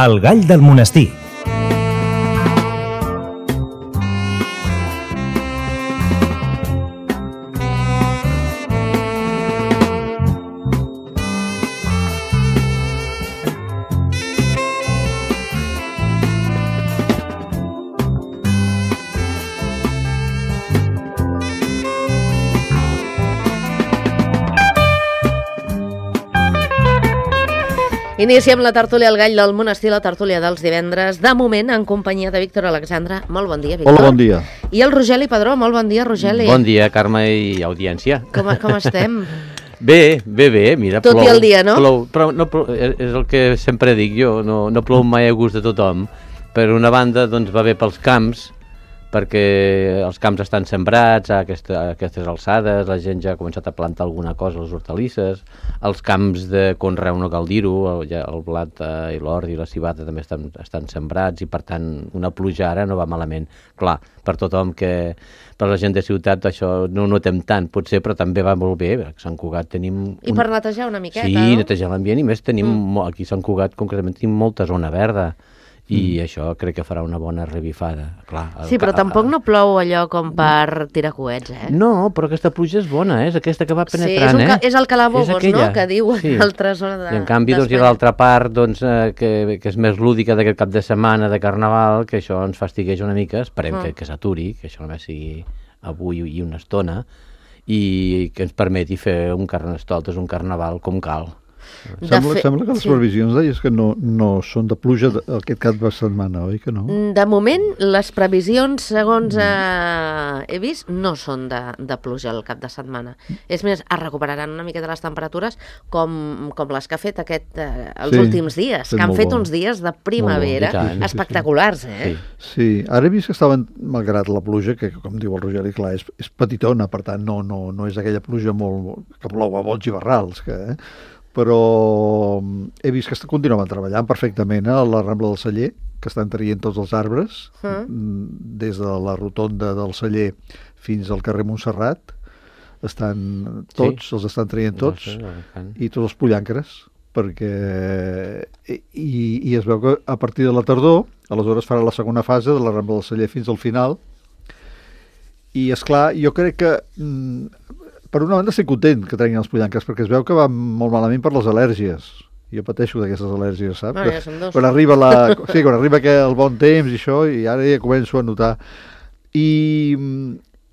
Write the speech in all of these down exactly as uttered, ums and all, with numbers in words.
El gall del monestir. Iniciem la tertúlia al gall del monestir, la tertúlia dels divendres, de moment en companyia de Víctor Alexandre. Molt bon dia, Víctor. Hola, bon dia. I el Rogeli Padró. Molt bon dia, Rogeli. Bon dia, Carme i audiència. Com, com estem? Bé, bé, bé, mira, Tot plou. i el dia, no? Plou, però no plou, és el que sempre dic jo, no, no plou mai a gust de tothom. Per una banda, doncs, va bé pels camps, perquè els camps estan sembrats a, aquesta, a aquestes alçades, la gent ja ha començat a plantar alguna cosa, les hortalisses, els camps de conreu, no cal dir-ho, el, ja, el blat eh, i l'ordi i la civada també estan, estan sembrats i per tant una pluja ara no va malament. Clar, per tothom que, per la gent de ciutat això no ho notem tant, potser, però també va molt bé, a Sant Cugat tenim... Un... I per netejar una miqueta, sí, no? Sí, netejar l'ambient i més tenim, mm. aquí a Sant Cugat concretament tenim molta zona verda. I mm. això crec que farà una bona revifada. Clar, sí, però tampoc no plou allò com per tirar coets, eh? No, però aquesta pluja és bona, eh? És aquesta que va penetrant, sí, és, eh? és el calabobos, no?, que diu sí. l'altra zona de... I en canvi, doncs, hi ha l'altra part, doncs, eh, que, que és més lúdica d'aquest cap de setmana de Carnaval, que això ens fastigueix una mica, esperem mm. que, que s'aturi, que això només sigui avui i una estona, i que ens permeti fer un carnestoltes, un Carnaval com cal. Sembla, fe... sembla que les sí. previsions deies que no, no són de pluja de, aquest cap de setmana, oi que no? De moment, les previsions, segons eh, he vist, no són de, de pluja el cap de setmana. És més, es recuperaran una mica de les temperatures com, com les que ha fet aquest, eh, els sí, últims dies, que han fet bo. uns dies de primavera bon, espectaculars, eh? Sí. sí, ara he vist que estaven, malgrat la pluja, que com diu el Rogeli, clar, és, és petitona, per tant no, no, no és aquella pluja molt, que plou a bots i barrals, que... Eh? però he vist que continuaven treballant perfectament a la Rambla del Celler, que estan traient tots els arbres, mm. des de la rotonda del Celler fins al carrer Montserrat, estan tots, sí. els estan traient tots, no sé, i tots els pollancres, perquè i, i es veu que a partir de la tardor, aleshores farà la segona fase de la Rambla del Celler fins al final, i és clar, jo crec que per una banda estic content que treguin els pollancres, perquè es veu que va molt malament per les al·lèrgies. Jo pateixo d'aquestes al·lèrgies, saps? No, ja són dos. Quan arriba, la, sí, quan arriba que el bon temps i això, i ara ja començo a notar. I,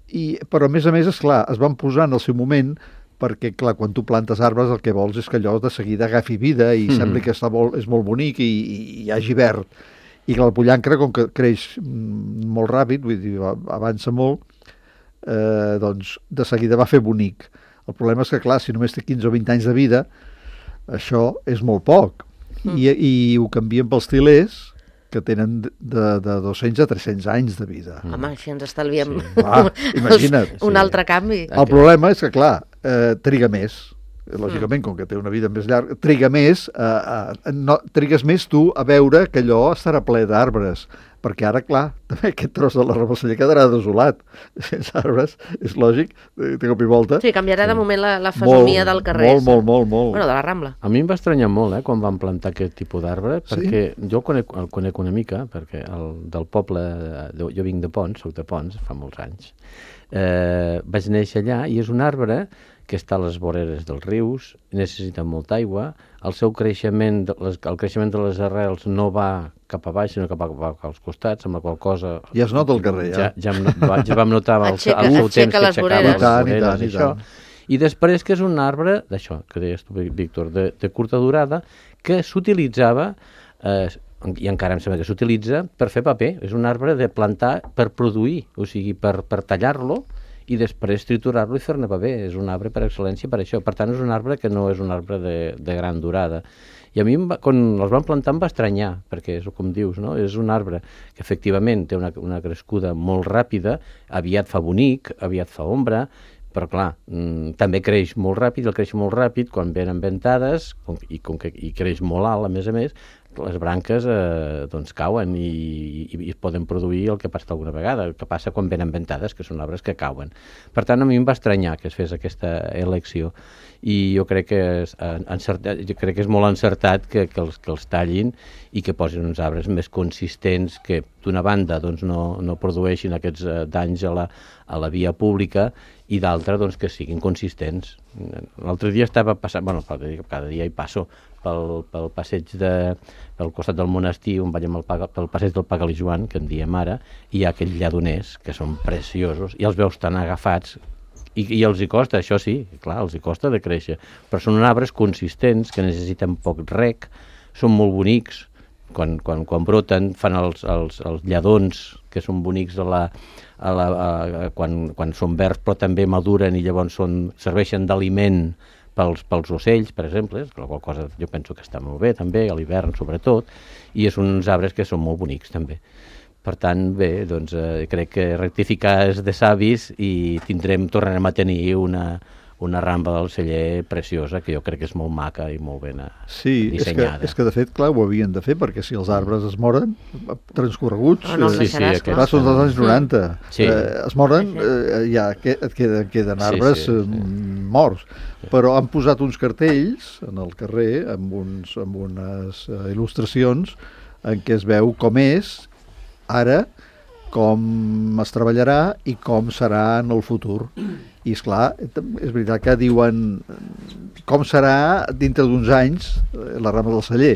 i, però a més a més, esclar, es van posar en el seu moment, perquè clar, quan tu plantes arbres el que vols és que allò de seguida agafi vida i mm. sembla que està molt, és molt bonic i, i hi hagi verd. I clar, el pollancre, com que creix molt ràpid, vull dir, avança molt, Eh, doncs de seguida va fer bonic. El problema és que, clar, si només té quinze o vint anys de vida, això és molt poc. Mm. I, i ho canvien pels tilers, que tenen de, de dos-cents a tres-cents anys de vida. Mm. Home, així ens estalviem sí. ah, imagina't. un sí. altre canvi. El problema és que, clar, eh, triga més. Lògicament, com que té una vida més llarga, triga més, eh, eh, no, trigues més tu a veure que allò estarà ple d'arbres, perquè ara, clar, també aquest tros de la Rambla del Celler quedarà desolat. Sense arbres, és lògic, té cop i volta. Sí, canviarà sí. de moment la, la fesomia molt, del carrer. Molt, molt, molt, molt. Bueno, de la Rambla. A mi em va estranyar molt, eh, quan van plantar aquest tipus d'arbre, sí? perquè jo el conec, el conec una mica, perquè el, del poble, de, jo vinc de Pons, soc de Pons, fa molts anys, eh, vaig néixer allà, i és un arbre que està a les voreres dels rius, necessita molta aigua, el seu creixement, les, el creixement de les arrels no va cap a baix, sinó cap, a, cap als costats, amb la qual cosa... Ja es nota el carrer, ja. Ja, ja, ja vam notar el, aixeca, el seu temps que les aixecava voreres. les voreres, I tant, i això. tant. I després que és un arbre, d'això, que deies tu, Víctor, de, de curta durada, que s'utilitzava, eh, i encara em sembla que s'utilitza, per fer paper. És un arbre de plantar per produir, o sigui, per, per tallar-lo, i després triturar-lo i fer-ne paper. És un arbre per excel·lència per això. Per tant, és un arbre que no és un arbre de, de gran durada. I a mi, va, quan els van plantar, em va estranyar, perquè és com dius, no? És un arbre que efectivament té una, una crescuda molt ràpida, aviat fa bonic, aviat fa ombra, però clar, mmm, també creix molt ràpid, el creix molt ràpid quan venen ventades, com, i, com que, i creix molt alt, a més a més, les branques eh, doncs cauen i, i, i es poden produir el que passa alguna vegada, el que passa quan venen ventades, que són arbres que cauen. Per tant, a mi em va estranyar que es fes aquesta elecció i jo crec que és, encertat, jo crec que és molt encertat que, que, els, que els tallin i que posin uns arbres més consistents que d'una banda doncs, no, no produeixin aquests eh, danys a la, a la via pública i d'altra doncs, que siguin consistents. L'altre dia estava passant, bueno, cada dia hi passo pel, pel passeig de, pel costat del monestir on vaig amb el, pel passeig del Pagalijoan, que en diem ara, i hi ha aquells lladoners que són preciosos i els veus tan agafats i, i els hi costa, això sí, clar, els hi costa de créixer, però són arbres consistents que necessiten poc rec, són molt bonics, quan, quan, quan broten fan els, els, els lladons que són bonics a la, a la, a, quan, quan són verds però també maduren i llavors són, serveixen d'aliment pels, pels ocells, per exemple, la qual cosa jo penso que està molt bé també, a l'hivern sobretot, i és uns arbres que són molt bonics també. Per tant, bé, doncs eh, crec que rectificar és de savis i tindrem, tornarem a tenir una, una ramba del celler preciosa, que jo crec que és molt maca i molt ben sí, dissenyada. Sí, és, és que de fet, clar, ho havien de fer, perquè si els arbres es moren, transcorreguts, oh, no, eh, sí, sí, sí, clar, són dels anys noranta, sí. eh, es moren, eh, ja et queden, queden arbres sí, sí, sí. morts, però han posat uns cartells en el carrer amb, uns, amb unes uh, il·lustracions en què es veu com és ara, com es treballarà i com serà en el futur. I esclar, és veritat que diuen com serà dintre d'uns anys la rama del celler.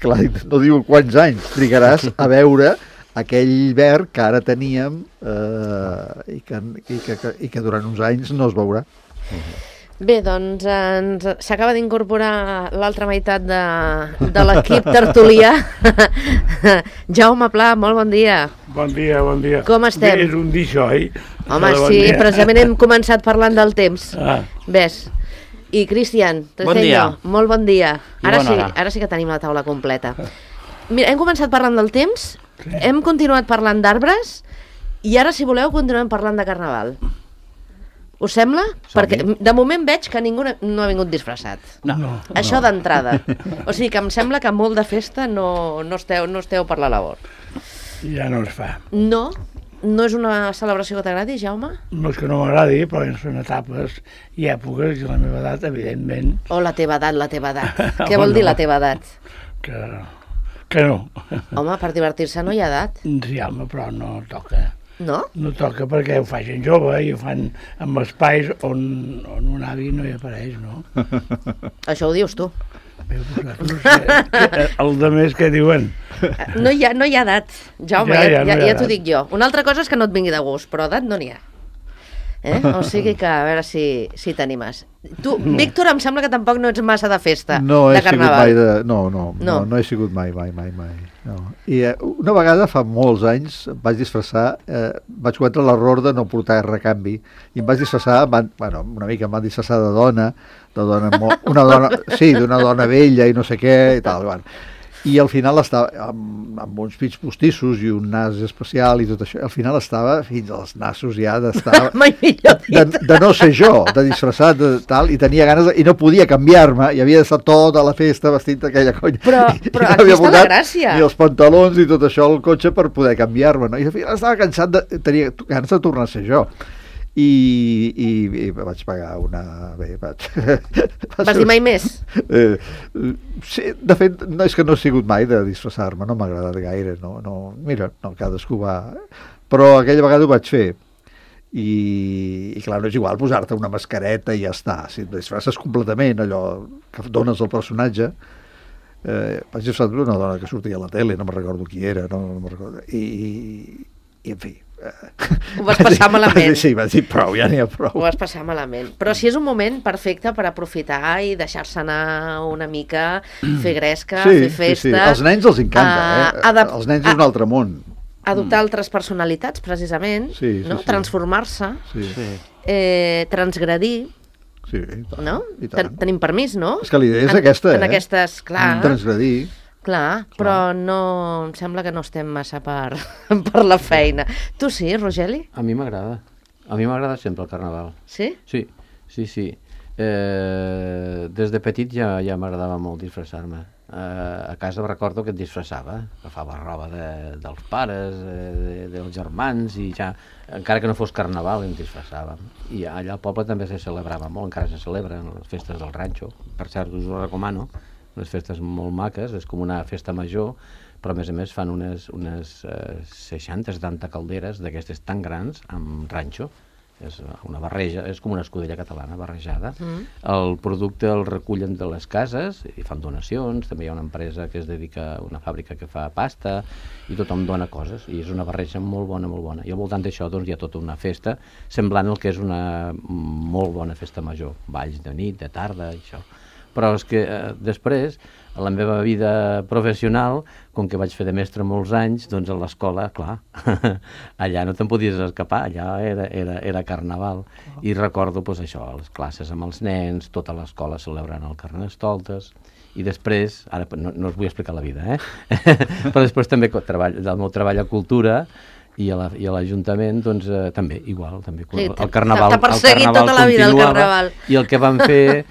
Clar, no diuen quants anys trigaràs a veure aquell verd que ara teníem eh, i, que, i, que, i que durant uns anys no es veurà. Bé, doncs ens s'acaba d'incorporar l'altra meitat de, de l'equip tertulià. Jaume Pla, molt bon dia. Bon dia, bon dia. Com estem? Bé, és un dir això, oi? Home, bon sí, dia. precisament hem començat parlant del temps. Ah. Ves. I Cristian, Bon dia. molt bon dia. I Ara bona sí, hora. ara sí que tenim la taula completa. Mira, hem començat parlant del temps, sí. Hem continuat parlant d'arbres i ara, si voleu, continuem parlant de carnaval. Us sembla? Som-hi. Perquè de moment veig que ningú no ha vingut disfressat. No. No. Això d'entrada. O sigui que em sembla que molt de festa no, no, esteu, no esteu per la labor. Ja no es fa. No? No és una celebració que t'agradi, Jaume? No és que no m'agradi, però són etapes i èpoques, i la meva edat, evidentment, O la teva edat, la teva edat. Què vol dir la teva edat? que, que no. Home, per divertir-se no hi ha edat, Sí, home, però no toca. no? No toca perquè ho fa gent jove i ho fan en espais on, on un avi no hi apareix, no? Això ho dius tu. Bé, doncs, no sé, el de més que diuen. No hi ha, no hi ha edat, Jaume, Ja, ja, ja, ja, no hi ja, ha ja t'ho edat. dic jo. Una altra cosa és que no et vingui de gust, però edat no n'hi ha. Eh? O sigui que a veure si, si t'animes. Tu, Víctor, em sembla que tampoc no ets massa de festa, No de he sigut carnaval. mai de... No, no, no, No. no, no he sigut mai, mai, mai, mai. No. I eh, una vegada, fa molts anys, em vaig disfressar, eh, vaig cometre l'error de no portar recanvi, i em vaig disfressar, em van, bueno, una mica em van disfressar de dona, de dona, mo- una dona, sí, d'una dona vella i no sé què, i tal, bueno. I al final estava amb, amb uns pits postissos i un nas especial i tot això, al final estava fins als nassos ja d'estar... Mai millor dit. de, de no ser jo, de disfressat de tal, i tenia ganes de, i no podia canviar-me, i havia d'estar tota la festa vestit d'aquella conya. Però- I, però i no aquí havia està la portat gràcia. ni els pantalons i tot això al cotxe per poder canviar-me, no? I al final estava cansat de, tenia ganes de tornar a ser jo. I, i, i vaig pagar una... Bé, vaig... Vas dir mai més? Eh, sí, de fet, no, és que no he sigut mai de disfressar-me, no m'ha agradat gaire, no, no, mira, no, cadascú va... Però aquella vegada ho vaig fer, i, i clar, no és igual posar-te una mascareta i ja està, si et disfresses completament, allò que dones al personatge, eh, vaig disfressar d'una dona que sortia a la tele, no me'n recordo qui era, no, no me'n recordo, i, i en fi... Ho vas passar malament. Vaig dir, sí, vaig dir prou, ja n'hi ha prou. Ho vas passar malament. Però si és un moment perfecte per aprofitar i deixar-se anar una mica, fer gresca, fer festa... Sí, sí. Als nens els encanta, uh, eh? adap- Els nens és un altre món. Adoptar altres personalitats, precisament, Sí, sí, no? sí. Transformar-se, Sí, Sí. eh, transgredir, sí, i tant, no? i tant. Ten tenim permís, no? És que la idea és en, aquesta, en eh? aquestes, clar, Transgredir. clar, però no, em sembla que no estem massa per, per la feina. Tu sí, Rogeli? A mi m'agrada. A mi m'agrada sempre el carnaval. Sí? Sí, sí, sí. Eh, des de petit ja, ja m'agradava molt disfressar-me. Uh, a casa recordo que et disfressava, agafava roba de, dels pares, de, dels germans, i ja, encara que no fos carnaval, em disfressàvem. I allà al poble també se celebrava molt, encara se celebren les festes del ranxo. Per cert, us ho recomano, unes festes molt maques, és com una festa major, però a més a més fan unes, unes uh, seixanta setanta calderes d'aquestes tan grans amb ranxo. És una barreja, és com una escudella catalana barrejada. Mm. El producte el recullen de les cases i fan donacions, també hi ha una empresa que es dedica a una fàbrica que fa pasta i tothom dona coses, i és una barreja molt bona, molt bona. I al voltant d'això doncs, hi ha tota una festa semblant al que és una molt bona festa major, balls de nit, de tarda, i això. Però és que eh, després, a la meva vida professional, com que vaig fer de mestre molts anys, doncs a l'escola, clar, allà no te'n podies escapar, allà era, era, era carnaval. I recordo doncs, això, les classes amb els nens, tota l'escola celebrant el Carnestoltes, i després, ara no, no us vull explicar la vida, eh? Però després també treball, del meu treball a Cultura, i a l'Ajuntament, doncs, eh, també, igual, també, sí, el carnaval, t'ha perseguit tota la vida el carnaval. I el que van fer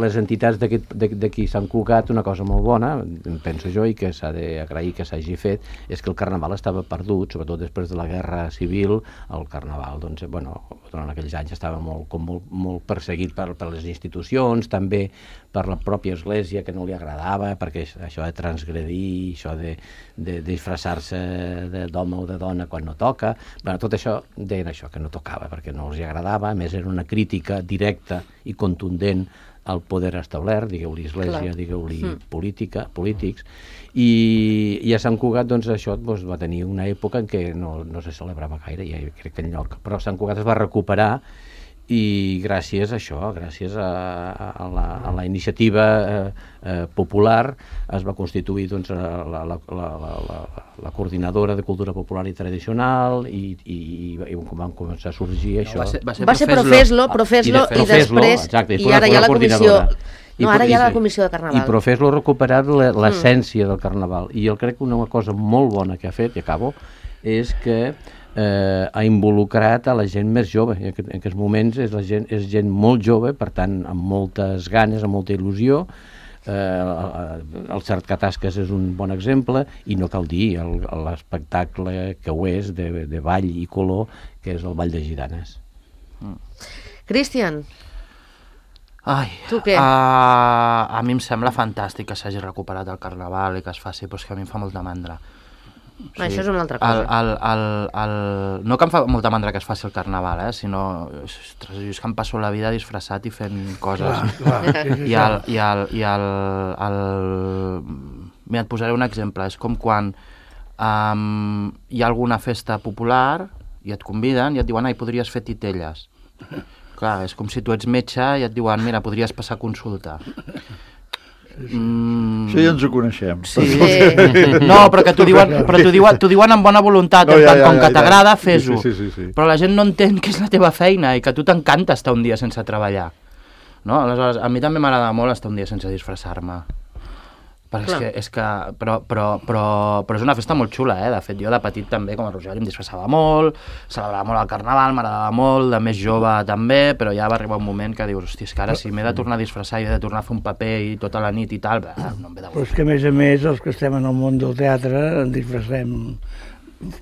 les entitats d'aquí Sant Cugat, una cosa molt bona, penso jo, i que s'ha d'agrair que s'hagi fet, és que el carnaval estava perdut, sobretot després de la Guerra Civil. El carnaval, doncs, bueno, durant aquells anys estava molt, com molt, molt perseguit per, per les institucions, també per la pròpia Església, que no li agradava, perquè això de transgredir, això de, de, de disfressar-se d'home o de dona quan no toca, bueno, tot això deien això, que no tocava, perquè no els agradava. A més, era una crítica directa i contundent al poder establert, digueu-li Església, digueu-li mm. política, polítics, i, i a Sant Cugat, doncs, això doncs, va tenir una època en què no, no se celebrava gaire, ja crec que enlloc, però Sant Cugat es va recuperar, i gràcies a això, gràcies a, a, la, a la iniciativa eh, eh, popular, es va constituir doncs, la, la, la, la, la, la coordinadora de cultura popular i tradicional, i, i, i van començar a sorgir no, això. Va ser, va ser, va ser Profeslo, Profeslo, i, de, i després, exacte, i, i ara hi ha la comissió... No, ara hi ha la comissió de Carnaval. I Profeslo ha recuperat l'essència mm. del Carnaval, i jo crec que una cosa molt bona que ha fet, i acabo, és que Eh, ha involucrat a la gent més jove. En, en aquests moments és, la gent, és gent molt jove, per tant amb moltes ganes, amb molta il·lusió. eh, el Cercatasques és un bon exemple, i no cal dir l'espectacle que ho és de, de ball i color, que és el Ball de Gitanes. mm. Cristian, Ai, tu què? A, a mi em sembla fantàstic que s'hagi recuperat el Carnaval i que es faci, però és que a mi em fa molta mandra. O sigui, això és una altra cosa. El, el, el, el... No que em fa molta mandra que es faci el Carnaval, eh? Sinó ostres, jo és que em passo la vida disfressat i fent coses. Clar, clar, sí, sí, I, el, i, el, i el, el... Mira, et posaré un exemple. És com quan um, hi ha alguna festa popular i et conviden i et diuen, ai, podries fer titelles. Clar, és com si tu ets metge i et diuen, mira, podries passar consulta. Mm. Això ja ens ho coneixem. Sí. Sí. No, però que t'ho diuen, però t'ho diuen, t'ho diuen amb bona voluntat, no, ja, ja, com ja, que t'agrada, ja. Fes-ho. Sí, sí, sí, sí. Però la gent no entén que és la teva feina i que a tu t'encanta estar un dia sense treballar. No? Aleshores, a mi també m'agrada molt estar un dia sense disfressar-me. Perquè és que, és que, però, però, però, però és una festa molt xula, eh? De fet, jo de petit també, com a Rogeri, em disfressava molt, celebrava molt el Carnaval, m'agradava molt, de més jove també, però ja va arribar un moment que dius, hòstia, és que ara si m'he de tornar a disfressar i he de tornar a fer un paper i tota la nit i tal, no em ve de gust. Però és que, a més a més, els que estem en el món del teatre ens disfressem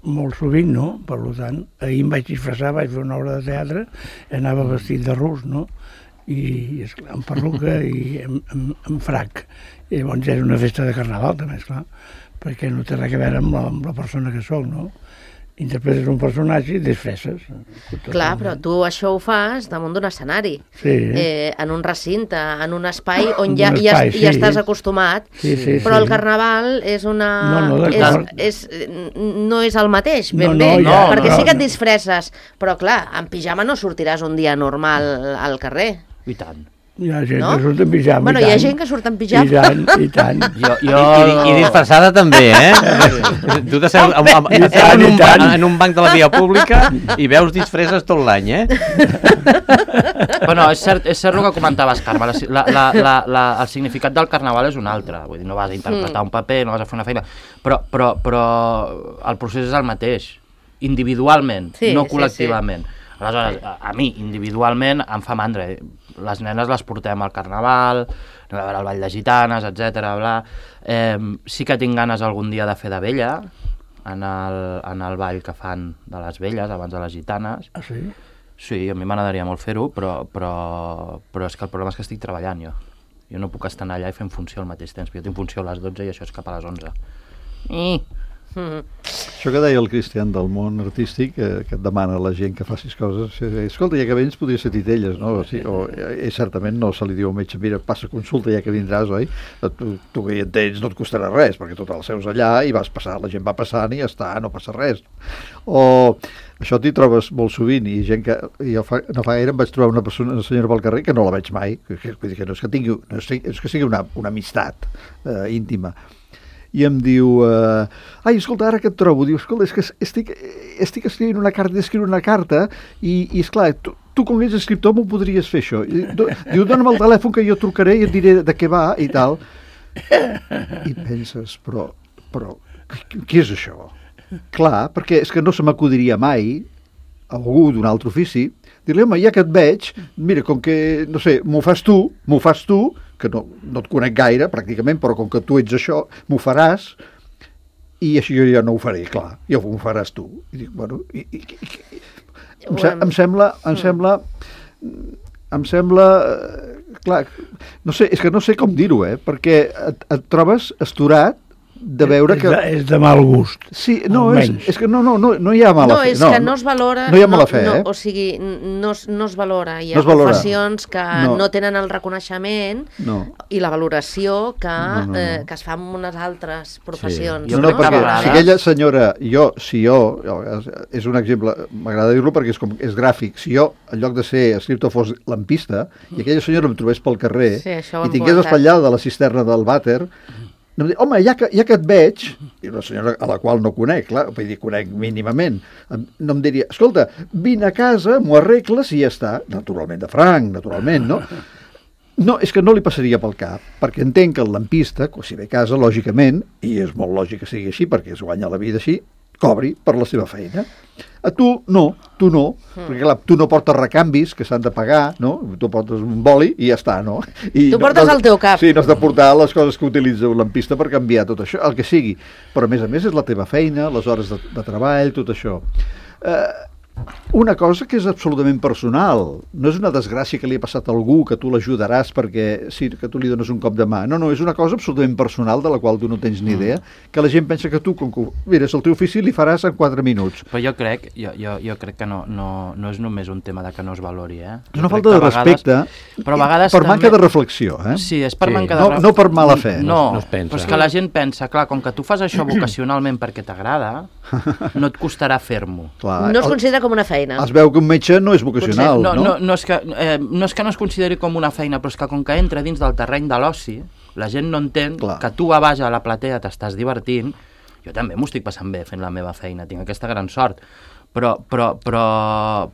molt sovint, no? Per tant, ahir em vaig disfressar, vaig fer una obra de teatre, anava vestit de rus, no? I, esclar, amb perruca i amb, amb, amb frac. I llavors era una festa de Carnaval, també, esclar, perquè no té res a veure amb la, amb la persona que soc, no? Interpretes un personatge i disfresses. Clar, però tu això ho fas damunt d'un escenari, sí. eh, en un recinte, en un espai on ja, espai, ja, sí. ja estàs acostumat, sí, sí, però sí. el Carnaval és una... No, no, és, és, no és el mateix, ben no, bé, no, ja, perquè no, sí que et no. disfresses, però clar, en pijama no sortiràs un dia normal al carrer. I tant. Hi ha gent no? que surt en pijama, bueno, i tant. Hi ha gent que surt en pijama. I tant, i tant. Jo, jo... I, i, I disfressada també, eh? Tu t'asseus en, en, en, un banc, en un banc de la via pública i veus disfresses tot l'any, eh? Bueno, és cert, és cert el que comentaves, Carme. La, la, la, la, el significat del Carnaval és un altre. Vull dir, no vas a interpretar un paper, no vas a fer una feina, però, però, però el procés és el mateix, individualment, sí, no col·lectivament. Sí, sí. Aleshores, a, a mi, individualment, em fa mandra. les nenes les portem al carnaval, anem a veure el ball de gitanes, etcètera. Bla. Eh, sí que tinc ganes algun dia de fer de vella, en el, en el ball que fan de les velles, abans de les gitanes. Ah, sí? Sí, a mi m'agradaria molt fer-ho, però, però, però és que el problema és que estic treballant jo. Jo no puc estar allà i fent funció al mateix temps, jo tinc funció a les dotze i això és cap a les onze. I... Mm. Això que deia el Cristian del món artístic, que, que et demana a la gent que facis coses, escolta, ja que vens podria ser titelles, no? O, sí, o eh, certament no se li diu al metge, mira, passa consulta ja que vindràs, oi? Tu, tu que hi entens no et costarà res, perquè tot el seus allà i vas passar, la gent va passant i ja està, no passa res. O això t'hi trobes molt sovint, i gent que jo fa, no fa gaire em vaig trobar una persona, una senyora pel carrer, que no la veig mai, que, que, que no és que tingui, no és, és que sigui una, una amistat eh, íntima, i em diu, eh, ai, escolta, ara que et trobo, diu, escolta, és que estic, estic escrivint una carta, escriure una carta, i, i esclar, tu, tu com ets escriptor m'ho podries fer això. I, do, diu, dona'm el telèfon que jo trucaré i et diré de què va i tal. I penses, però, però, què és això? Clar, perquè és que no se m'acudiria mai a algú d'un altre ofici, dir-li, home, ja que et veig, mira, com que, no sé, m'ho fas tu, m'ho fas tu, que no, no et conec gaire, pràcticament, però com que tu ets això, m'ho faràs, i així jo ja no ho faré, clar, ja m'ho faràs tu. I dic, bueno, i, i, i, em, se, em sembla, em sembla, em sembla, clar, no sé, és que no sé com dir-ho, eh, perquè et, et trobes asturat de veure és que... De, és de mal gust. Sí, no, és, és que no, no, no, no hi ha mala no, fe. És no, és que no es valora... No hi ha mala fe, no, eh? O sigui, no, no es valora. Hi ha no professions que no. no tenen el reconeixement no. i la valoració que, no, no, no. Eh, que es fa en unes altres professions. Sí. No, no, no, perquè vegades... si aquella senyora, jo, si jo, és un exemple, m'agrada dir-lo perquè és, com, és gràfic, si jo, en lloc de ser escriptor, fos lampista, i aquella senyora em trobés pel carrer sí, i tingués espatllada de la cisterna del vàter, no em dic, home, ja que, ja que et veig, i una senyora a la qual no conec, clar, vull dir, conec mínimament, no em diria, escolta, vine a casa, m'ho arregles i ja està, naturalment de franc, naturalment, no? No, és que no li passaria pel cap, perquè entenc que el lampista, si ve a casa, lògicament, i és molt lògic que sigui així, perquè es guanya la vida així, cobri per la seva feina. A tu no, tu no, mm. perquè clar, tu no portes recanvis que s'han de pagar, no? Tu portes un boli i ja està, no? I tu no, portes no, el teu cap. Sí, no has de portar les coses que utilitza un lampista per canviar tot això, el que sigui. Però a més a més és la teva feina, les hores de, de treball, tot això. Eh... Una cosa que és absolutament personal, no és una desgràcia que li ha passat a algú que tu l'ajudaràs perquè sí, que tu li dones un cop de mà, no, no, és una cosa absolutament personal de la qual tu no tens ni idea, que la gent pensa que tu, com que mires el teu ofici, li faràs en quatre minuts. Però jo crec, jo, jo, jo crec que no, no, no és només un tema de que no es valori, eh? És una falta de respecte, però a vegades per també... manca de reflexió, eh? Sí, és per sí. manca de no, reflexió. no per mala fe. No, no, no es pensa. Però és que la gent pensa, clar, com que tu fas això vocacionalment perquè t'agrada, no et costarà fer-m'ho. No es considera com una feina. Es veu que un metge no és vocacional, Potser, no, no? No, no, és que, eh, no és que no es consideri com una feina, però és que com que entra dins del terreny de l'oci, la gent no entén Clar. que tu a baix a la platea t'estàs divertint. Jo també m'ho estic passant bé fent la meva feina, tinc aquesta gran sort, però, però, però,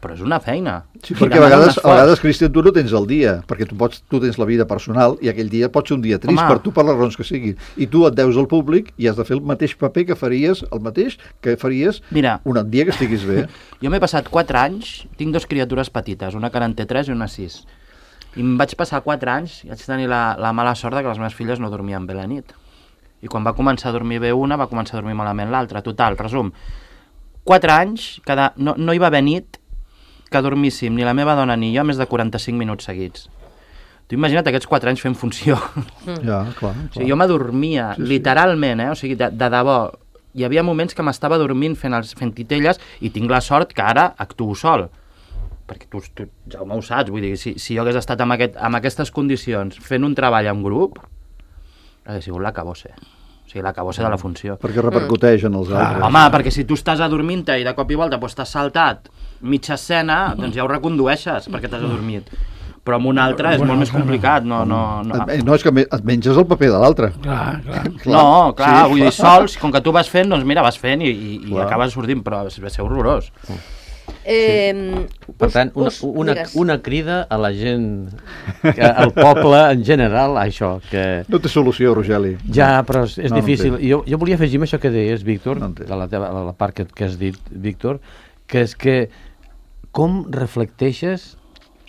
però és una feina. Sí, perquè a vegades, a vegades, Cristian, tu no tens el dia, perquè tu, pots, tu tens la vida personal i aquell dia pot ser un dia trist Home. per tu, per les raons que siguin. I tu et deus al públic i has de fer el mateix paper que faries, el mateix que faries Mira, un dia que estiguis bé. Jo m'he passat quatre anys, tinc dos criatures petites, una que en té tres i una sis. I em vaig passar quatre anys i vaig tenir la, la mala sort que les meves filles no dormien bé la nit. I quan va començar a dormir bé una, va començar a dormir malament l'altra. Total, resum, quatre anys, cada, no, no hi va haver nit que dormíssim, ni la meva dona ni jo, més de quaranta-cinc minuts seguits. Tu imagina't aquests quatre anys fent funció. Mm. Ja, clar, clar. O sigui, jo m'adormia, sí, literalment, eh? O sigui, de, de debò. Hi havia moments que m'estava dormint fent, els, fent titelles i tinc la sort que ara actuo sol. Perquè tu, tu Jaume, ho saps, vull dir, si, si jo hagués estat en, aquest, en aquestes condicions fent un treball en grup, hauria sigut l'acabose. O sigui, l'acabose de la funció. Perquè repercuteix en els altres. Ah, home, perquè si tu estàs adormint-te i de cop i volta pues, t'has saltat mitja escena, doncs ja ho recondueixes perquè t'has adormit. Però amb un altre és molt més complicat. No, no, no. no és que et menges el paper de l'altre. Clar, clar. No, clar, sí. Vull dir, sols, com que tu vas fent, doncs mira, vas fent i, i, i acabes sortint, però va ser horrorós. Eh, sí. Per tant, una, us, una, una crida a la gent, que, al poble en general, a això. Que... No té solució, Rogeli. Ja, però és, és no, difícil. No jo, jo volia afegir això que deies, Víctor, no de la, teva, la part que, que has dit, Víctor, que és que com reflecteixes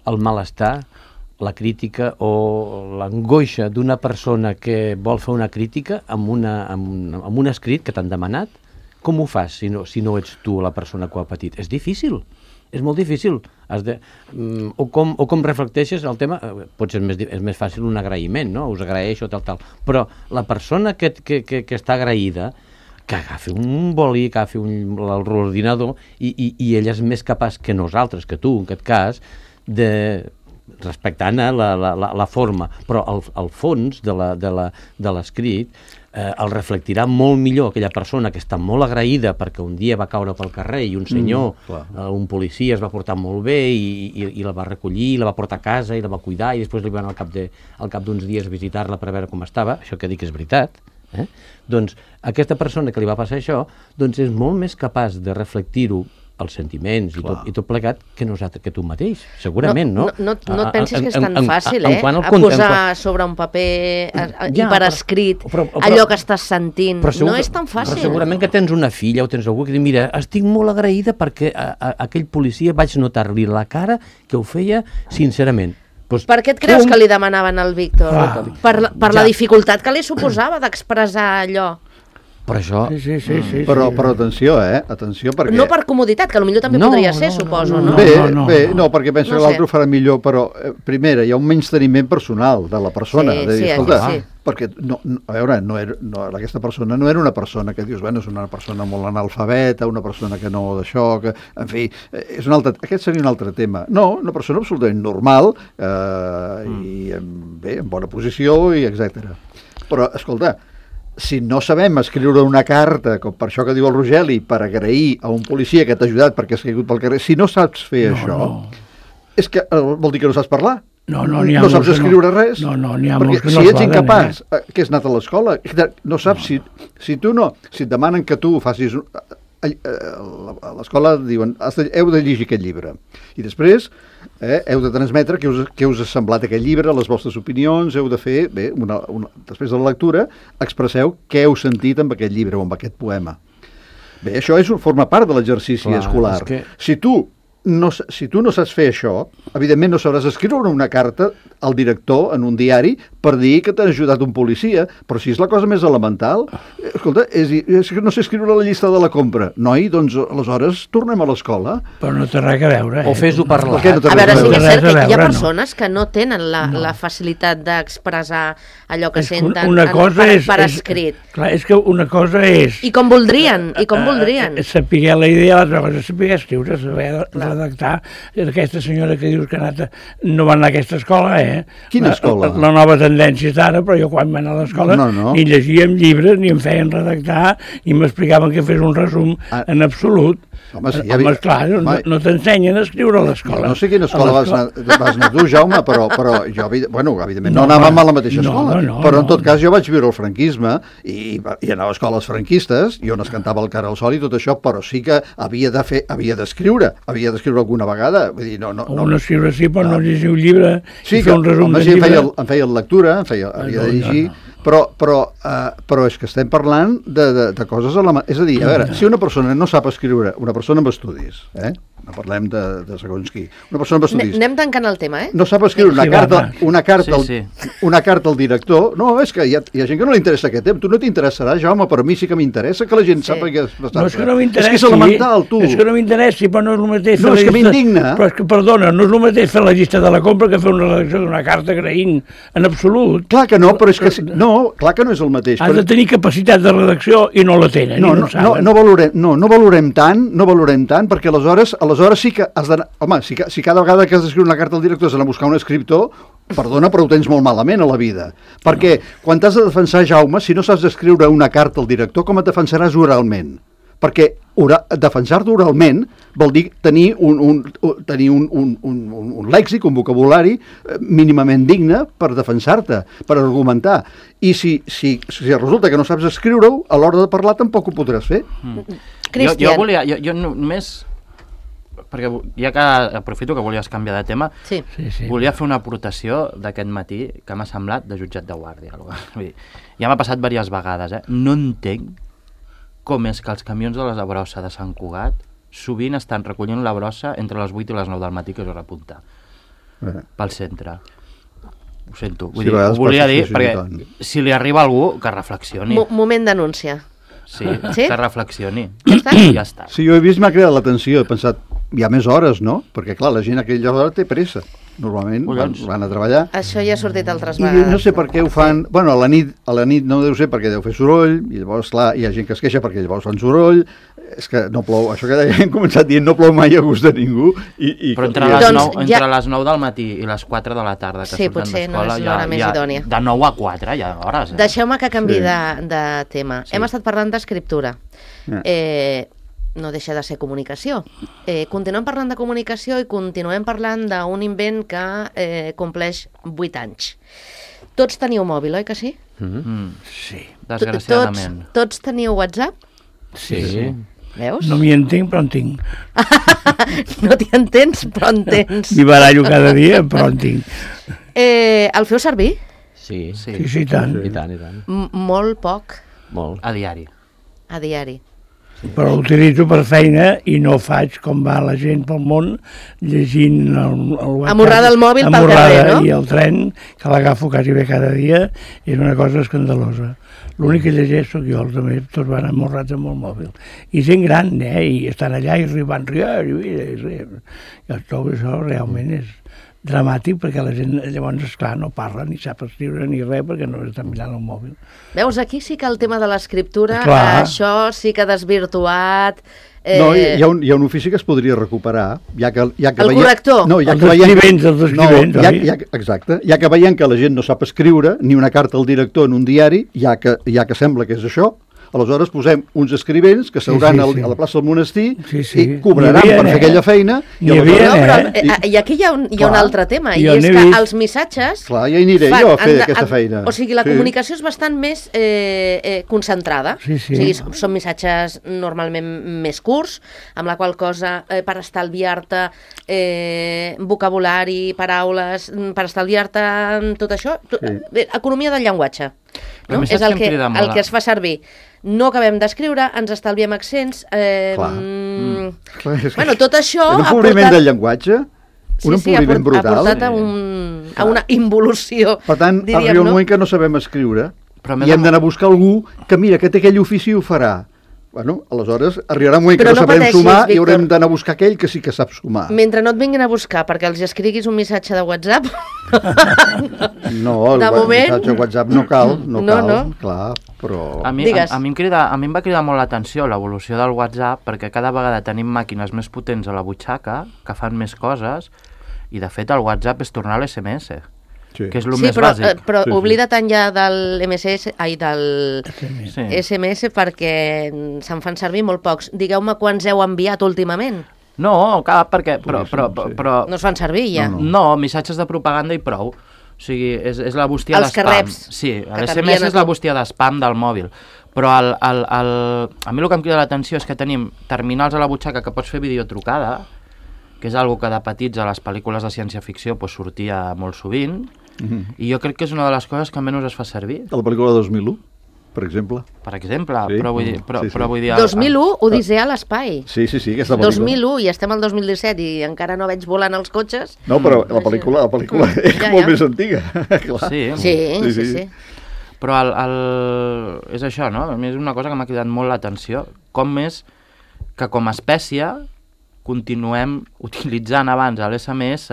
el malestar, la crítica o l'angoixa d'una persona que vol fer una crítica amb, una, amb, amb un escrit que t'han demanat? Com ho fas si no, si no ets tu la persona que ho ha patit? És difícil, és molt difícil. Has de, um, o, com, o com reflecteixes el tema, potser és més, és més fàcil un agraïment, no? Us agraeixo, tal, tal. Però la persona que, que, que, que està agraïda, que agafi un boli, que agafi l'ordinador i, i, i ella és més capaç que nosaltres, que tu, en aquest cas, de respectant eh, la, la, la forma, però el, el fons de l'escrit eh, el reflectirà molt millor aquella persona que està molt agraïda perquè un dia va caure pel carrer i un senyor, mm, eh, un policia es va portar molt bé i, i, i la va recollir, la va portar a casa i la va cuidar i després li van al cap de, al cap d'uns dies visitar-la per veure com estava, això que dic és veritat. Eh? Doncs aquesta persona que li va passar això doncs és molt més capaç de reflectir-ho els sentiments i tot, i tot plegat que nosaltres, que tu mateix, segurament, no? No, no, no, no et pensis que és tan en, fàcil, en, eh? en, en, a posar en, sobre un paper a, a, ja, i per escrit però, però, allò que estàs sentint. Segur, no és tan fàcil. Però segurament que tens una filla o tens algú que diu, mira, estic molt agraïda perquè a, a, a aquell policia vaig notar-li la cara que ho feia sincerament. Pues, per què et creus um... que li demanaven al Víctor? Ah, per per ja. la dificultat que li suposava d'expressar allò. Per això... Sí, sí, sí, sí, però, sí. però atenció, eh? Atenció perquè... No per comoditat, que potser també no, podria ser, no, suposo, no? no? Bé, no, no, bé, no. no, perquè penso No que l'altre sé. ho farà millor, però, eh, primera, hi ha un menysteniment personal de la persona. Sí, de dir, sí, escolta, sí. perquè, no, no, a veure, no era, no, aquesta persona no era una persona que dius, bueno, és una persona molt analfabeta, una persona que no d'això, que, en fi, eh, és un altre, aquest seria un altre tema. No, una persona absolutament normal, eh, mm. i, bé, en bona posició, i etcètera. Però, escolta, si no sabem escriure una carta, com per això que diu el Rogeli, per agrair a un policia que t'ha ajudat perquè has caigut pel carrer, si no saps fer No, això, no. és que eh, vol dir que no saps parlar. No, no, n'hi ha no molts saps que escriure no. res. No, no, n'hi ha perquè molts que si no ets poden, incapaç, eh? eh, que has anat a l'escola, no saps, no. si, si tu no, si et demanen que tu facis... un- a a l'escola diuen, has de, heu de llegir aquest llibre. I després eh, heu de transmetre què us, què us ha semblat aquest llibre, les vostres opinions, heu de fer, bé, una, una, després de la lectura, expresseu què heu sentit amb aquest llibre o amb aquest poema. Bé, això és, forma part de l'exercici Clar, escolar. és que- Si tu no, si tu no saps fer això, evidentment no sabràs escriure una carta al director en un diari per dir que t'ha ajudat un policia, però si és la cosa més elemental, eh, escolta, és, és que no sé escriure la llista de la compra. Noi, doncs aleshores tornem a l'escola. Però no té res a veure. Eh? O fes-ho parlar. Per què no té A veure, res sí que és Res a cert que hi ha veure, no. persones que no tenen la, No. la facilitat d'expressar allò que És que senten una en- cosa per, és, per és, escrit. Clar, és que una cosa és... I com voldrien, i com voldrien. Eh, saber la idea, l'altra cosa és saber escriure, saber redactar. Aquesta senyora que dius que ha anat a, no va anar a aquesta escola, eh? Quina La- escola? La, la nova tendència és d'ara, però jo quan vaig anar a l'escola No, no. ni llegíem llibres, ni em feien redactar, ni m'explicaven que fes un resum Ah. en absolut. Home, sí, Home, ja vi- clar, no, Home, no t'ensenyen a escriure a l'escola. No sé quina escola A vas l'escola- anar, vas anar tu, Jaume, però, però jo, evi- bueno, evidentment no, No, anàvem va, a la mateixa no, escola, no, però en no. tot cas jo vaig viure el franquisme i, i anava a escoles franquistes i on es cantava el cara al sol i tot això, però sí que havia de fer, havia d'escriure, havia d'escriure alguna vegada, vull dir, no, no, no. Un escriure sí, però no Ah. llegir un llibre Sí, i que, fer un resum home, de sí, em llibre. feia, em feia lectura, em feia, havia de no, llegir, no. però, però, uh, però és que estem parlant de, de, de coses elementals. És a dir, a veure, si una persona no sap escriure, una persona amb estudis, eh? no parlem de, de segons qui, una persona amb Ne- estudis, Anem tancant el tema, eh? no sap escriure una Sí, va, carta, va. una carta, Sí, al, una carta al director, no, és que hi ha, hi ha gent que no li interessa aquest tema, tu no t'interessarà, Jaume, però a mi sí que m'interessa que la gent Sí. sàpiga que és bastant... No és que no m'interessi, és que és elemental, tu. és que no m'interessi, però no és el mateix No, fer la és que llista- m'indigna. Però és que, perdona, no és el mateix fer la llista de la compra que fer una redacció d'una carta agraint, en absolut. Clar que no, però és que... si- No, clar que no és el mateix. Has però- de tenir capacitat de redacció i no la tenen, No, i no, no, ho no, saben. no, valorem, no, no valorem tant, no valorem tant, perquè aleshores, aleshores sí que has d'anar... Home, si, ca- si cada vegada que has d'escriure una carta al director has d'anar a buscar un escriptor, perdona, però ho tens molt malament a la vida. Perquè quan t'has de defensar, Jaume, si no saps escriure una carta al director, com et defensaràs oralment? Perquè ora, defensar-te oralment vol dir tenir un, un, un, tenir un, un, un, un, un lèxic, un vocabulari eh, mínimament digne per defensar-te, per argumentar. I si, si, si resulta que no saps escriure-ho, a l'hora de parlar tampoc ho podràs fer. Jo, Cristian. jo volia, jo, jo no- només, perquè ja que aprofito que volies canviar de tema, Sí. Sí, sí. volia fer una aportació d'aquest matí que m'ha semblat de jutjat de guàrdia. Vull dir, ja m'ha passat diverses vegades, eh? No entenc com és que els camions de la brossa de Sant Cugat sovint estan recollint la brossa entre les vuit i les nou del matí, que és hora punta, Eh. pel centre. ho sento, vull sí, dir, ho volia dir, perquè si li arriba a algú, que reflexioni. Mo moment d'anúncia. Sí, sí, que reflexioni. Ja està? Ja està. Sí, jo he vist, m'ha cridat l'atenció, he pensat, hi ha més hores, no? Perquè, clar, la gent a aquella hora té pressa. Normalment van, van a treballar. Això ja ha sortit altres vegades. I no sé per què ho fan... Bueno, a la nit, a la nit no deu ser perquè deu fer soroll, i llavors, clar, hi ha gent que es queixa perquè llavors fan soroll, és que no plou, això que hem començat dient, no plou mai a gust de ningú. I, i Però entre, les, doncs, nou, entre ja... les nou del matí i les quatre de la tarda que sí, surten d'escola, no és l'hora més idònia. De nou a quatre hi ha hores. Eh? Deixeu-me que canvi sí. de, de tema. Sí. Hem estat parlant d'escriptura. Yeah. Eh, no deixa de ser comunicació. Eh, continuem parlant de comunicació i continuem parlant d'un invent que eh, compleix vuit anys. Tots teniu mòbil, oi que sí? Mm-hmm. Sí. Desgraciadament. Tots, tots teniu WhatsApp? Sí. sí. Veus? No m'hi entenc, però en tinc. No t'hi entens, però en tens. M'hi barallo cada dia, però en tinc. Eh, el feu servir? Sí. Sí, sí, sí, i tant. I tant, i tant. M molt poc. Molt. A diari. A diari. Però l'utilitzo per feina i no faig com va la gent pel món llegint el, el WhatsApp. Amorrada el mòbil pel carrer, no? I el tren, que l'agafo quasi bé cada dia, és una cosa escandalosa. L'únic que llegeix sóc jo, els altres tots van amorrats amb el mòbil. I gent gran, eh? I estan allà i van riar, i riar. I tot això realment és dramàtic, perquè la gent llavors, esclar, no parla, ni sap escriure ni res, perquè no està mirant el mòbil. Veus, aquí sí que el tema de l'escriptura, Clar. això sí que ha desvirtuat... Eh... No, hi ha, un, hi ha un ofici que es podria recuperar, ja que... Ja que el veiem... corrector. No, ja els que veiem... escrivents, els escrivents, no, ja, ja, exacte. Ja que veiem que la gent no sap escriure, ni una carta al director en un diari, ja que, ja que sembla que és això, aleshores posem uns escrivents que s'hauran sí, sí, sí. a la plaça del monestir sí, sí. i cobraran havia, per fer eh? aquella feina. I, havia, no, però, eh? I, I aquí hi ha un, hi ha un altre tema, i és que vist. els missatges... Clar, ja hi aniré fan, jo a fer de, aquesta feina. O sigui, la sí. comunicació és bastant més eh, eh, concentrada. Sí, sí. O sigui, són missatges normalment més curts, amb la qual cosa, eh, per estalviar-te eh, vocabulari, paraules, per estalviar-te tot això, tu, sí. eh, economia del llenguatge. No? És el que, el que es fa servir. No acabem d'escriure, ens estalviem accents... Eh, Clar. Mm, Clar, és bueno, tot això... Un empobriment portat... del llenguatge, un sí, sí, empobriment ha brutal. Ha portat a, un, a una involució, Per tant, diríem, arriba un no? moment que no sabem escriure Però i hem d'anar a buscar algú que, mira, que té aquell ofici i ho farà. Bueno, aleshores arribarà un moment Però que no, no sabrem pateixis, sumar Víctor. i haurem d'anar a buscar aquell que sí que sap sumar. Mentre no et vinguin a buscar perquè els escriguis un missatge de WhatsApp... No, el de moment... missatge de WhatsApp no cal, no, no cal, no. clar, però... A mi, a, a, mi em crida, a mi em va cridar molt l'atenció l'evolució del WhatsApp, perquè cada vegada tenim màquines més potents a la butxaca, que fan més coses, i de fet el WhatsApp és tornar a l'S M S. Sí. Que és el sí, més però, bàsic. Eh, però sí, sí. oblida tant ja del M S S, ai, del sí. S M S perquè se'n fan servir molt pocs. Digueu-me quants heu enviat últimament. No, cap, perquè... Però, però, però, però... No es fan servir ja. No, no. no, missatges de propaganda i prou. O sigui, és, és la bústia Els d'espam. que reps. Sí, l'S M S és la bústia d'espam del mòbil. Però el, el, el... a mi el que em crida l'atenció és que tenim terminals a la butxaca que pots fer videotrucada, que és algo que de petits a les pel·lícules de ciència-ficció pues, sortia molt sovint, mm-hmm. i jo crec que és una de les coses que menys es fa servir. A la pel·lícula de dos mil u, per exemple. Per exemple, sí? però vull dir... Però, sí, sí. Però vull dir dos mil u, Odissea a l'espai. Sí, sí, sí, aquesta pel·lícula. dos mil u, i estem al dos mil disset i encara no veig volant els cotxes. No, però la pel·lícula, la pel·lícula mm, és ja, molt ja. més antiga. Clar. Sí, sí, sí, sí, sí. Però el, el... és això, no? A mi és una cosa que m'ha cridat molt l'atenció. Com més que com a espècie continuem utilitzant abans l'S M S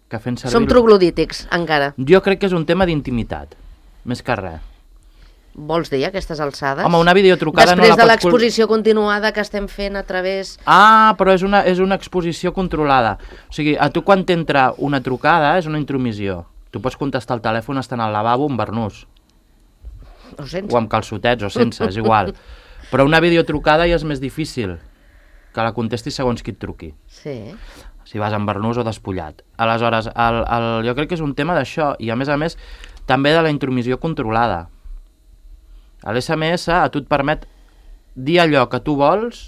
que fent servir... Som troglodítics, encara. Jo crec que és un tema d'intimitat, més que res. Vols dir, aquestes alçades? Home, una videotrucada Després no la de pots... l'exposició continuada que estem fent a través... Ah, però és una, és una exposició controlada. O sigui, a tu quan t'entra una trucada és una intromissió. Tu pots contestar el telèfon estant al lavabo amb barnús. O sense. O amb calçotets, o sense, és igual. Però una videotrucada ja és més difícil que la contestis segons qui et truqui. Sí. Si vas amb barnús o despullat. Aleshores, el, el, jo crec que és un tema d'això, i a més a més, també de la intromissió controlada. L'S M S a tu et permet dir allò que tu vols...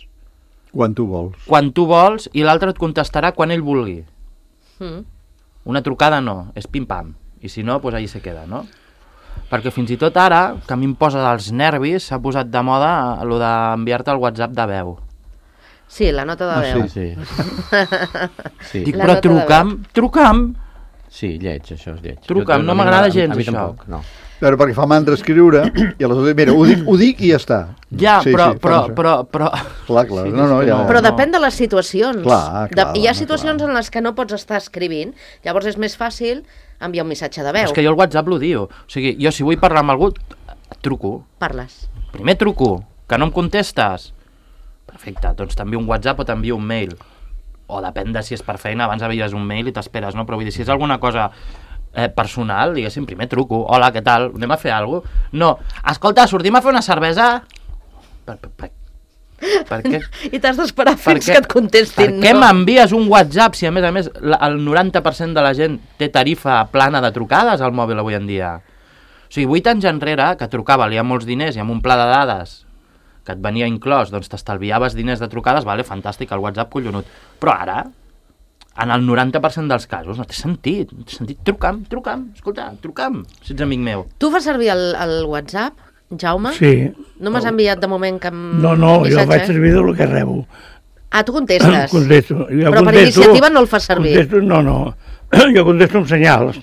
Quan tu vols. Quan tu vols, i l'altre et contestarà quan ell vulgui. Mm. Una trucada no, és pim-pam. I si no, doncs allà se queda, no? Perquè fins i tot ara, que a mi em posa dels nervis, s'ha posat de moda el d'enviar-te el WhatsApp de veu. Sí, la nota de ah, veu. Sí, sí. sí. Dic, però truca'm, truca'm, Sí, lleig, això és lleig. Truca'm, Jo, no a mi m'agrada a mi- gens, a mi això. tampoc, no. Però perquè fa mandra escriure, i aleshores, mira, ho dic, ho dic i ja està. Ja, Sí, però, sí, però, fa però, però... Clar, clar, no, no, ja... Però no. depèn de les situacions. Clar, clar, de, hi ha home, situacions clar. en les que no pots estar escrivint, llavors és més fàcil enviar un missatge de veu. És que jo el WhatsApp l'odio. O sigui, jo si vull parlar amb algú, et truco. Parles. Primer truco, que no em contestes. Perfecte, doncs t'envio un WhatsApp o t'envio un mail. O depèn de si és per feina, abans envies un mail i t'esperes, no? Però vull dir, si és alguna cosa eh, personal, diguéssim, primer truco. Hola, què tal? Anem a fer alguna cosa? No. Escolta, sortim a fer una cervesa? Per, per, per, per què? I t'has d'esperar fins què- que et contestin, Per què no? m'envies un WhatsApp si a més a més la- el noranta per cent de la gent té tarifa plana de trucades al mòbil avui en dia? O sigui, vuit anys enrere, que trucava, li ha molts diners i amb un pla de dades que et venia inclòs, doncs t'estalviaves diners de trucades, vale, fantàstic, el WhatsApp collonut. Però ara, en el noranta per cent dels casos, no té sentit, no té sentit. Truca'm, truca'm, escolta, truca'm, si ets amic meu. Tu fas servir el, el WhatsApp, Jaume? Sí. No m'has enviat de moment cap No, no, jo missatge? faig servir del que rebo. Ah, tu contestes. Contesto. Jo Però per contesto, iniciativa no el fas servir. Contesto, no, no. Jo contesto amb senyals.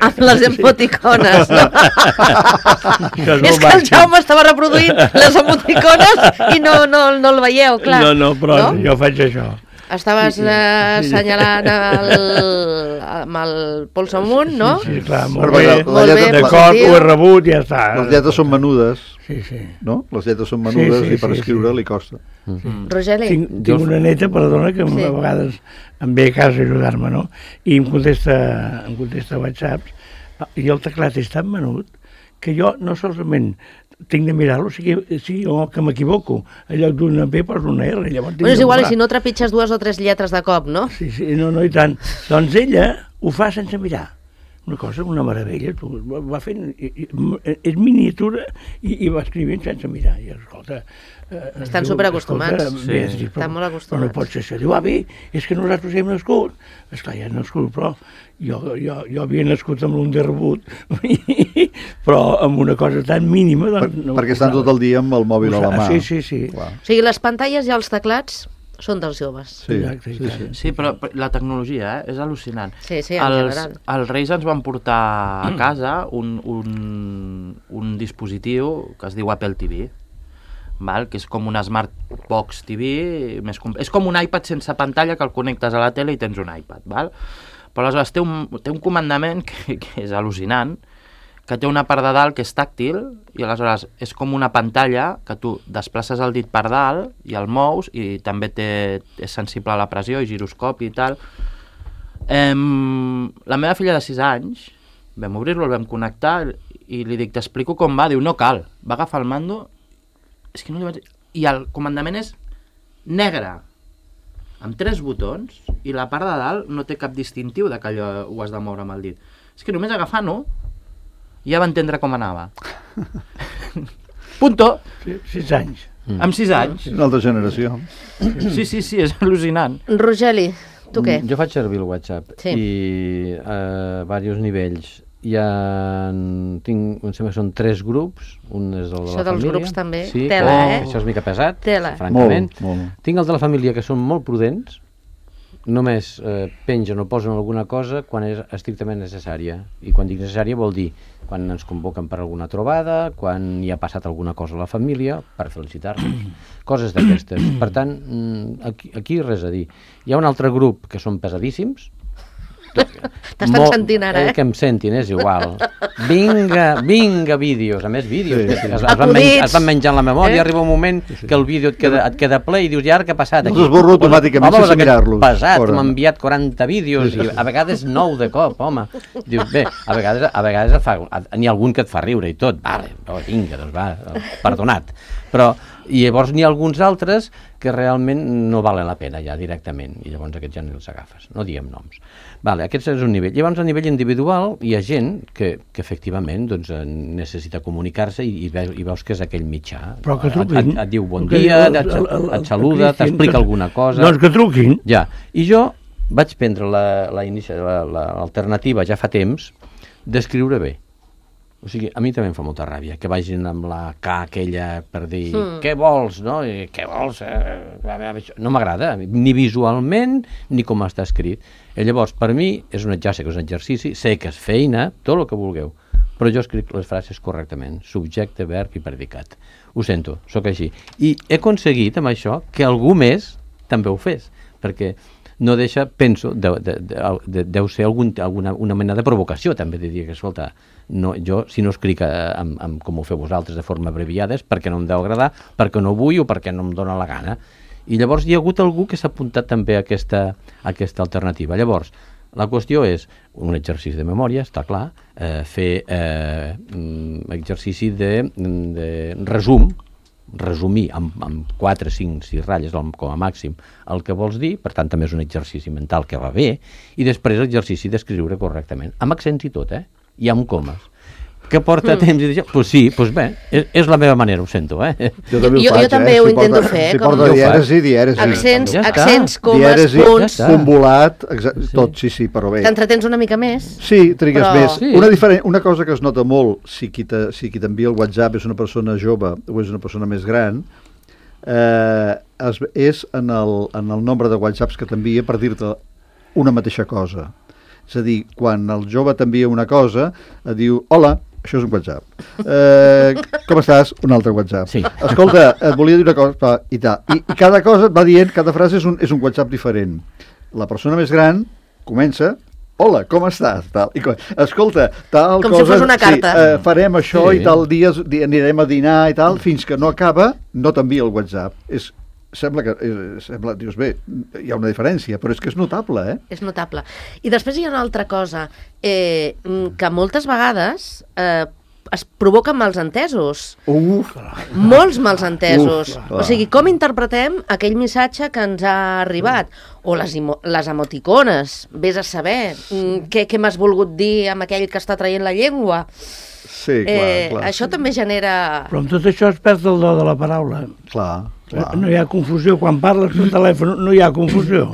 Amb les emoticones, no? Això És que el Jaume estava reproduint les emoticones i no, no, no el veieu, clar. No, no, però no? jo faig això. Estaves Sí, sí, eh, sí. assenyalant el, amb el pols amunt, no? Sí, sí, clar, molt Però bé. la- la Molt lletra- bé, D'acord, positiu. ho he rebut i ja està. Les lletres són menudes, Sí, sí. no? Les lletres són menudes Sí, sí, i per sí, escriure sí. li costa. Rogeli? Tinc, tinc una neta, perdona, que Sí. a vegades em ve a casa a ajudar-me, no? I em contesta, em contesta whatsapps, i el teclat és tan menut que jo no solament tinc de mirar-lo, o sigui, sí, o que m'equivoco. En lloc d'una B poso una R. Llavors tinc Bueno, és de igual, i buscar. si no trepitges dues o tres lletres de cop, no? Sí, sí, no, no, i tant. Doncs ella ho fa sense mirar. Una cosa, una meravella. Tu, va, va fent, i, i, és miniatura i, i va escrivint sense mirar. I escolta... Eh, Estan diu, superacostumats. escolta, Sí. Beatriz, però- Estan molt però acostumats. no pot ser això. Diu, ah, bé, és que nosaltres hem nascut. Esclar, ja hem nascut, però jo, jo, jo havia nascut amb l'un de rebut, però amb una cosa tan mínima... Per, Doncs, no perquè estan tot el dia amb el mòbil a la mà. Sí, sí, sí. Clar. O sigui, les pantalles i els teclats són dels joves. Sí, Exacte, sí, sí. exacte. Sí, però però la tecnologia eh, és al·lucinant. Sí, sí, en els, general. els Reis ens van portar a casa un, un, un dispositiu que es diu Apple T V, val? Que és com una Smart Box T V, més com... és com un iPad sense pantalla que el connectes a la tele i tens un iPad. Val? Però aleshores té un, té un comandament que, que és al·lucinant, que té una part de dalt que és tàctil i aleshores és com una pantalla que tu desplaces el dit per dalt i el mous i també té, és sensible a la pressió i giroscopi i tal. Em, la meva filla de sis anys, vam obrir-lo, el vam connectar i li dic, t'explico com va, diu, no cal. Va agafar el mando, és que no li vaig... i el comandament és negre, amb tres botons, i la part de dalt no té cap distintiu de que allò ho has de moure amb el dit. És que només agafant-ho ja va entendre com anava. Punto. Sí, sis anys. Amb sis anys. Una altra generació. Sí, sí, sí, és al·lucinant. Rogeli, tu què? Jo faig servir el WhatsApp Sí. i a diversos nivells. Hi ha, tinc, em sembla que són tres grups, un és el de Això la dels família. grups també, sí, tela, que eh? Això és mica pesat, Tela. francament. Molt, molt. Tinc els de la família que són molt prudents, només eh, pengen o posen alguna cosa quan és estrictament necessària. I quan dic necessària vol dir quan ens convoquen per alguna trobada, quan hi ha passat alguna cosa a la família, per felicitar-nos. Coses d'aquestes. Per tant, mm, aquí, aquí res a dir. Hi ha un altre grup que són pesadíssims. T'estan Molt- sentint ara, eh? Que em sentin, és igual. Vinga, vinga, vídeos. A més, vídeos. Sí, que sí. es, es, van Acudits. menjar, es van menjar en la memòria, Eh? arriba un moment que el vídeo et queda, et queda ple i dius, i ara què ha passat aquí? Els esborro automàticament Home, sense aquest mirar-los. pesat, Fora. m'ha enviat quaranta vídeos i a vegades nou de cop, home. Dius, bé, a vegades, a vegades et fa, n'hi ha algun que et fa riure i tot. Vale, oh, vinga, doncs va, perdonat. Però i llavors n'hi ha alguns altres que realment no valen la pena ja directament, i llavors aquests ja no els agafes, no diem noms. Vale, aquest és un nivell. Llavors a nivell individual hi ha gent que, que efectivament doncs, eh, necessita comunicar-se i, i, veus, i veus que és aquell mitjà. Però que et, truquin. et, et diu bon Que dia, el- et, el- el- et saluda, el Cristian, t'explica que- alguna cosa. Doncs que truquin. Ja, i jo vaig prendre la, la, inici- la, la alternativa ja fa temps d'escriure bé. O sigui, a mi també em fa molta ràbia que vagin amb la K aquella per dir mm. què vols, no? I, què vols? Eh, no m'agrada, ni visualment ni com està escrit. I llavors, per mi, és un, ja sé que és un exercici, sé que és feina, tot el que vulgueu, però jo escric les frases correctament, subjecte, verb i predicat. Ho sento, sóc així. I he aconseguit amb això que algú més també ho fes, perquè no deixa, penso, de, de, de, de, deu ser algun, alguna una mena de provocació, també, de dir que, escolta, no, jo, si no escric amb, amb, com ho feu vosaltres de forma abreviada és perquè no em deu agradar, perquè no vull o perquè no em dóna la gana. I llavors hi ha hagut algú que s'ha apuntat també a aquesta, a aquesta alternativa. Llavors, la qüestió és un exercici de memòria, està clar, eh, fer eh, exercici de, de resum, resumir amb, amb quatre, cinc, sis ratlles com a màxim el que vols dir, per tant també és un exercici mental que va bé, i després l'exercici d'escriure correctament, amb accents i tot, eh? I amb comes. Que porta mm. temps i d'això? Pues sí, pues bé, és, és la meva manera, ho sento, eh? Jo també ho, jo, faig, jo també eh? ho si intento porta, fer. Si porta dièresi, dièresi. Accents, ja accents comes, dièresi, punts. Ja convolat, sí. Tot, sí, sí, però bé. T'entretens una mica més? Sí, trigues però... més. Sí. Una, diferent, una cosa que es nota molt, si qui t'envia el WhatsApp és una persona jove o és una persona més gran, eh, es, és en el, en el nombre de WhatsApps que t'envia per dir-te una mateixa cosa. És a dir, quan el jove t'envia una cosa, et diu, hola, això és un WhatsApp. Eh, com estàs? Un altre WhatsApp. Sí. Escolta, et volia dir una cosa i tal. I, i cada cosa et va dient, cada frase és un, és un WhatsApp diferent. La persona més gran comença, hola, com estàs? Tal. I, escolta, tal com cosa... Com si fos una carta. Sí, eh, farem això sí. I tal dia anirem a dinar i tal, fins que no acaba, no t'envia el WhatsApp. És... Sembla que, eh, sembla, dius, bé, hi ha una diferència, però és que és notable, eh? És notable. I després hi ha una altra cosa, eh, que moltes vegades eh, es provoquen malsentesos. Uf! Molts malsentesos. Uf, o sigui, com interpretem aquell missatge que ens ha arribat? O les, les emoticones, vés a saber. Què, què m'has volgut dir amb aquell que està traient la llengua? Sí, clar, eh, clar. Això sí. també genera... Però amb tot això es perd el do de la paraula. Clar, clar. No hi ha confusió. Quan parles per telèfon no hi ha confusió.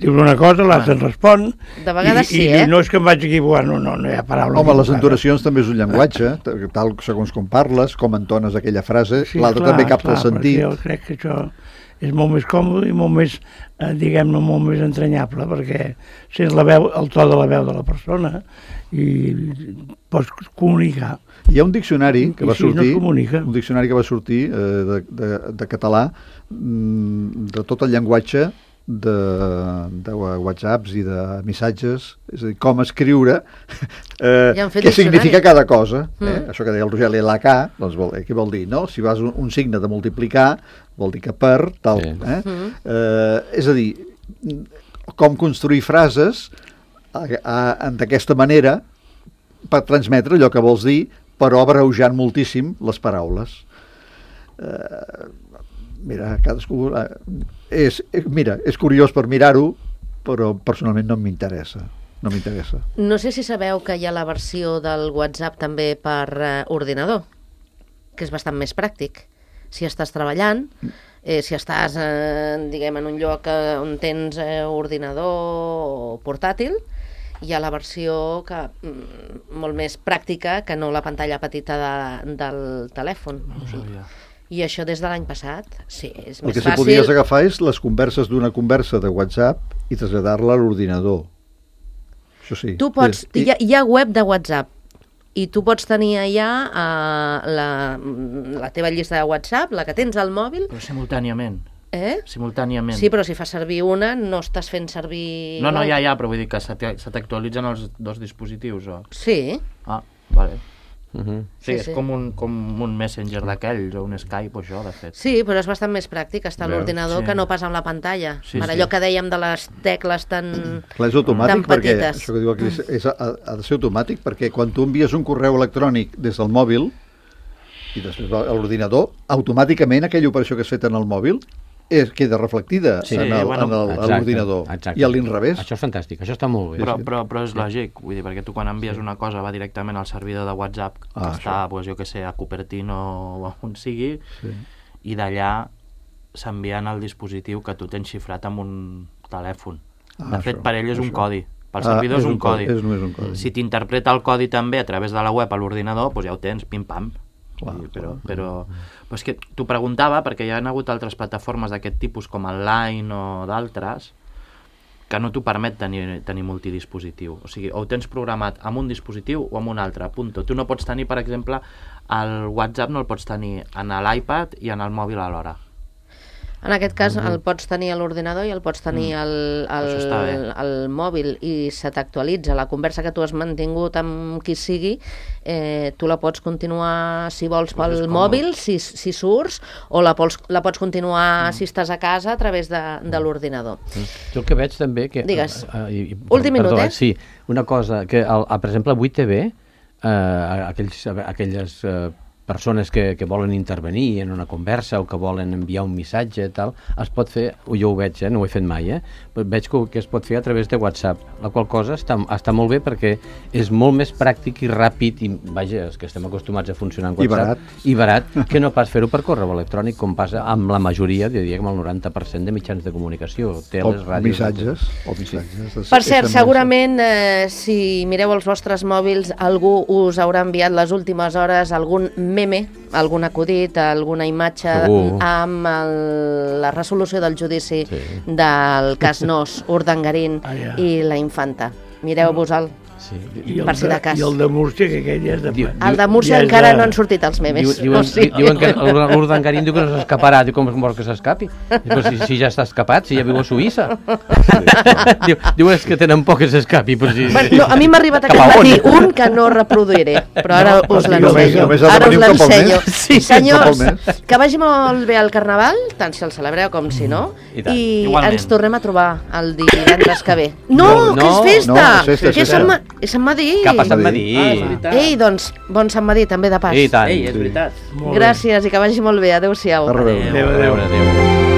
Dius una cosa, l'altre et respon. De vegades i, sí, i, eh? I no és que em vaig equivocar, no, no, no hi ha paraula. Home, les entonacions també és un llenguatge, tal segons com parles, com entones aquella frase, sí, l'altre també capta el sentit. Jo crec que això és molt més còmode i molt més, eh, diguem-ne, molt més entranyable, perquè sents la veu, el to de la veu de la persona i pots comunicar. Hi ha un diccionari que va I si sortir, no un diccionari que va sortir eh, de, de, de català, de tot el llenguatge de, de whatsapps i de missatges, és a dir, com escriure, eh, què significa cada cosa. Eh? Mm. Això que deia el Rogeli, la K, doncs vol, eh, què vol dir? No? Si vas un, un signe de multiplicar, vol dir que per, tal. Sí. Eh? Mm. Eh, és a dir, com construir frases d'aquesta manera per transmetre allò que vols dir, però abreujant moltíssim les paraules. Eh, mira, cadascú... Eh, és, mira, és curiós per mirar-ho, però personalment no m'interessa. No m'interessa. No sé si sabeu que hi ha la versió del WhatsApp també per eh, ordinador, que és bastant més pràctic. Si estàs treballant, eh, si estàs, eh, diguem, en un lloc eh, on tens eh, ordinador o portàtil, hi ha la versió que, mm, molt més pràctica que no la pantalla petita de, del telèfon. O sigui, i això des de l'any passat, sí, és el més fàcil. El que si podies agafar és les converses d'una conversa de WhatsApp i traslladar-la a l'ordinador. Això sí. Tu pots, hi ha, hi ha web de WhatsApp i tu pots tenir allà uh, la, la teva llista de WhatsApp, la que tens al mòbil. Però simultàniament. Eh? Simultàniament. Sí, però si fas servir una, no estàs fent servir... No, no, ja, ja, però vull dir que se t'actualitzen els dos dispositius, o... Sí. Ah, vale. Uh-huh. Sí, sí, és sí. com un, com un Messenger d'aquells, o un Skype, o això, de fet. Sí, però és bastant més pràctic estar a l'ordinador sí. que no pas amb la pantalla. Sí, per sí. allò que dèiem de les tecles tan, Clar, és automàtic tan perquè, petites. això que diu aquí, és, ha, ha de ser automàtic perquè quan tu envies un correu electrònic des del mòbil i després a l'ordinador, automàticament aquella operació que has fet en el mòbil és, queda reflectida sí, en bueno, l'ordinador. I a l'inrevés. Això és fantàstic, això està molt bé. Però, però, però és lògic, vull dir, perquè tu quan envies sí. una cosa va directament al servidor de WhatsApp, que ah, està, pues, jo que sé, a Cupertino o on sigui, sí. i d'allà s'envia al dispositiu que tu tens xifrat amb un telèfon. Ah, de fet, això, per ell és això. un codi. Pel servidor ah, és un, un codi. És només un codi. Si t'interpreta el codi també a través de la web a l'ordinador, doncs ja ho tens, pim-pam. Clar, I, però, clar. però, però és que t'ho preguntava perquè hi ha hagut altres plataformes d'aquest tipus com el Line o d'altres que no t'ho permet tenir, tenir multidispositiu. O sigui, o ho tens programat amb un dispositiu o amb un altre, punto. Tu no pots tenir, per exemple, el WhatsApp no el pots tenir en l'iPad i en el mòbil alhora. En aquest cas el pots tenir a l'ordinador i el pots tenir al, al, al mòbil i se t'actualitza la conversa que tu has mantingut amb qui sigui, eh, tu la pots continuar si vols pel mòbil, si, si surts, o la pots, la pots continuar mm. si estàs a casa a través de, de l'ordinador. Jo el que veig també... Que, Digues, uh, i, últim minut, perdó, eh? Sí, una cosa, que el, per exemple a vuit T V, uh, aquells, aquelles... Uh, persones que, que volen intervenir en una conversa o que volen enviar un missatge i tal, es pot fer, jo ho veig, eh, no ho he fet mai, eh, però veig que, que es pot fer a través de WhatsApp, la qual cosa està, està molt bé perquè és molt més pràctic i ràpid i, vaja, és que estem acostumats a funcionar en WhatsApp. I barat. I barat, que no pas fer-ho per correu electrònic, com passa amb la majoria, diria que amb el noranta per cent de mitjans de comunicació, teles, ràdios... Missatges, o missatges. Per cert, segurament, eh, si mireu els vostres mòbils, algú us haurà enviat les últimes hores algun meme, algun acudit, alguna imatge Segur. amb el, la resolució del judici sí. del cas Nos, Urdangarín ah, ja. i la Infanta. Mireu-vos-el. Sí. Per si de cas. I el de Múrcia, que aquell ja és de... El de Múrcia ja encara de... no han sortit els memes. Diu, diuen, o sigui... diuen que l'Urdangarín diu que no s'escaparà. Diu, com vol que s'escapi? Però si, si ja està escapat, si ja viu a Suïssa. Sí. Diu, diu és que tenen por que s'escapi. Si... Bueno, no, a mi m'ha arribat aquest matí un que no reproduiré, però ara no, us l'ensenyo. Ara us l'ensenyo. Sí, senyors, que vagi molt bé el Carnaval, tant si el celebreu com si no, i, i ens tornem a trobar el divendres que ve. No, no que és festa! No, és festa, que és Sant És Sant Madí. Cap a Sant Madí. Ah, Ei, doncs, bon Sant Madí, també de pas. I tant. Ei, és veritat. Gràcies i que vagi molt bé. Adéu-siau. Adéu, adéu. adéu. adéu.